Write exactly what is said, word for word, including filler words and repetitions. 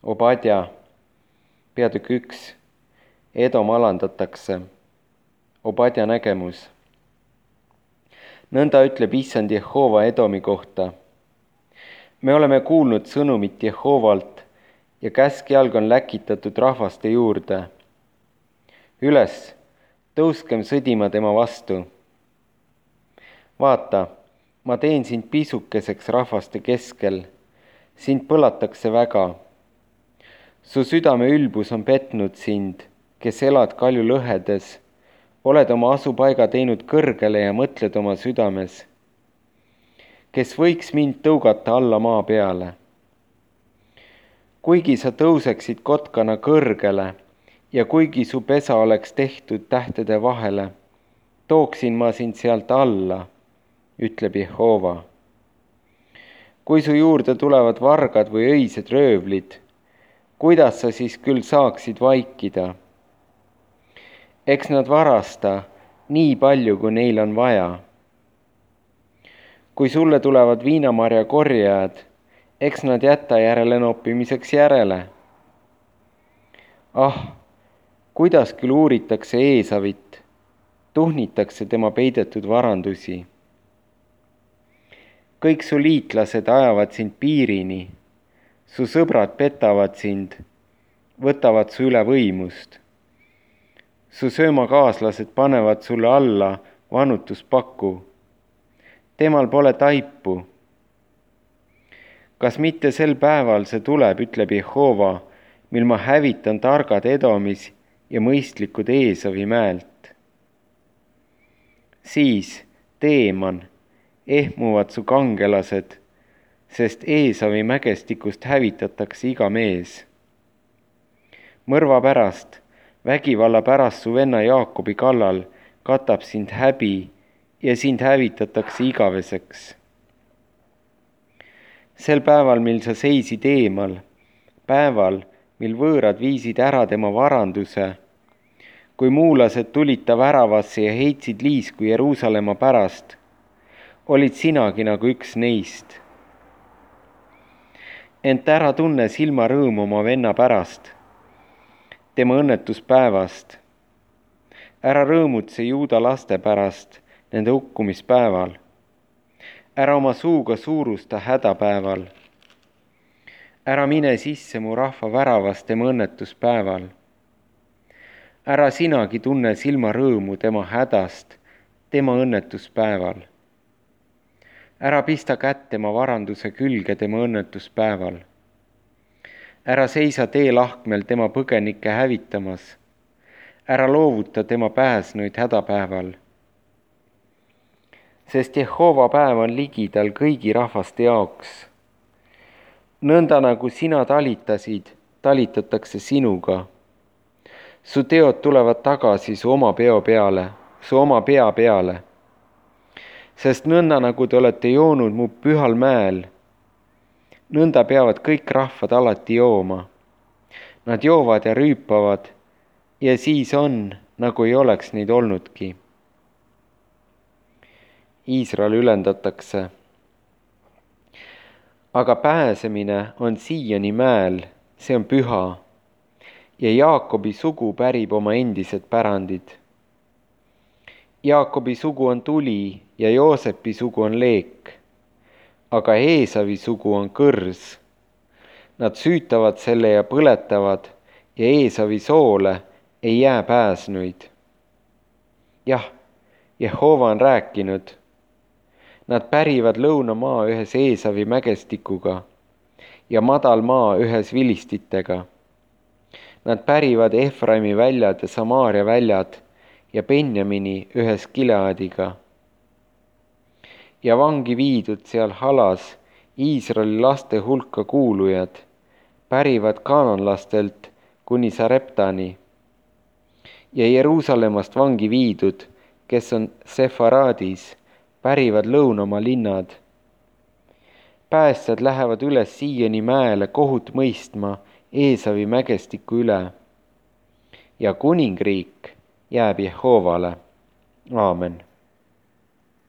Obadja, peatükk üks, Edom alandatakse. Obadja nägemus. Nõnda ütleb issand Jehova Edomi kohta. Me oleme kuulnud sõnumit Jehovalt ja käskjalg on läkitatud rahvaste juurde. Üles, tõuskem sõdima tema vastu. Vaata, ma teen sind pisukeseks rahvaste keskel, sind põlatakse väga. Su südame ülbus on petnud sind, kes elad kalju lõhedes, oled oma asupaiga teinud kõrgele ja mõtled oma südames, kes võiks mind tõugata alla maa peale. Kuigi sa tõuseksid kotkana kõrgele ja kuigi su pesa oleks tehtud tähtede vahele, tooksin ma sind sealt alla, ütleb Jehova. Kui su juurde tulevad vargad või öised röövlid, kuidas sa siis küll saaksid vaikida? Eks nad varasta nii palju, kui neil on vaja. Kui sulle tulevad viinamarja korjajad, eks nad jäta järele noppimiseks järele. Ah, kuidas küll uuritakse Eesavit, tuhnitakse tema peidetud varandusi. Kõik su liitlased ajavad sind piirini, su sõbrad petavad sind, võtavad su üle võimust. Su söömakaaslased panevad sulle alla vanutuspaku. Temal pole taipu. Kas mitte sel päeval see tuleb, ütleb Jehova, mil ma hävitan targad Edomis ja mõistlikud Eesavi mäelt. Siis, Teeman, ehmuvad su kangelased, sest Eesavi mägestikust hävitatakse iga mees. Mõrva pärast, vägivalla pärast su venna Jaakobi kallal katab sind häbi ja sind hävitatakse igaveseks. Sel päeval, mil sa seisid eemal, päeval, mil võõrad viisid ära tema varanduse, kui muulased tulid ta väravasse ja heitsid liisku Jeruusalemma pärast, olid sinagi nagu üks neist. Ent ära tunne silmarõõmu oma venna pärast, tema õnnetuspäevast. Ära rõõmutse Juuda laste pärast nende hukkumispäeval. Ära oma suuga suurusta hädapäeval. Ära mine sisse mu rahva väravast tema õnnetuspäeval. Ära sinagi tunne silmarõõmu tema hädast tema õnnetuspäeval. Ära pista kätt tema varanduse külge tema õnnetuspäeval. Ära seisa teelahkmel tema põgenikke hävitamas. Ära loovuta tema pääsnuid hädapäeval. Sest Jehova päev on ligidal kõigi rahvaste jaoks. Nõnda nagu sina talitasid, talitatakse sinuga. Su teod tulevad tagasi su oma peo peale, su oma pea peale. Sest nõnda nagu te olete joonud mu pühal mäel, nõnda peavad kõik rahvad alati jooma. Nad joovad ja rüüpavad ja siis on, nagu ei oleks neid olnudki. Iisrael ülendatakse. Aga pääsemine on siiani mäel, see on püha, ja Jaakobi sugu pärib oma endised pärandid. Jaakobi sugu on tuli ja Joosepi sugu on leek, aga Eesavi sugu on kõrs. Nad süütavad selle ja põletavad ja Eesavi soole ei jää pääsnuid. Jah, Jehova on rääkinud. Nad pärivad lõunamaa ühes Eesavi mägestikuga ja madalmaa ühes vilistitega. Nad pärivad Efraimi väljad ja Samaaria väljad ja Benjamini ühes Gileadiga. Ja vangi viidud seal halas Iisraeli laste hulka kuulujad pärivad kaananlastelt kuni Sareptani. Ja Jeruusalemmast vangi viidud, kes on Sefaraadis, pärivad lõunamaa linnad. Päästjad lähevad üles Siioni mäele kohut mõistma Eesavi mägestiku üle. Ja kuningriik jääb Jehovale. Aamen.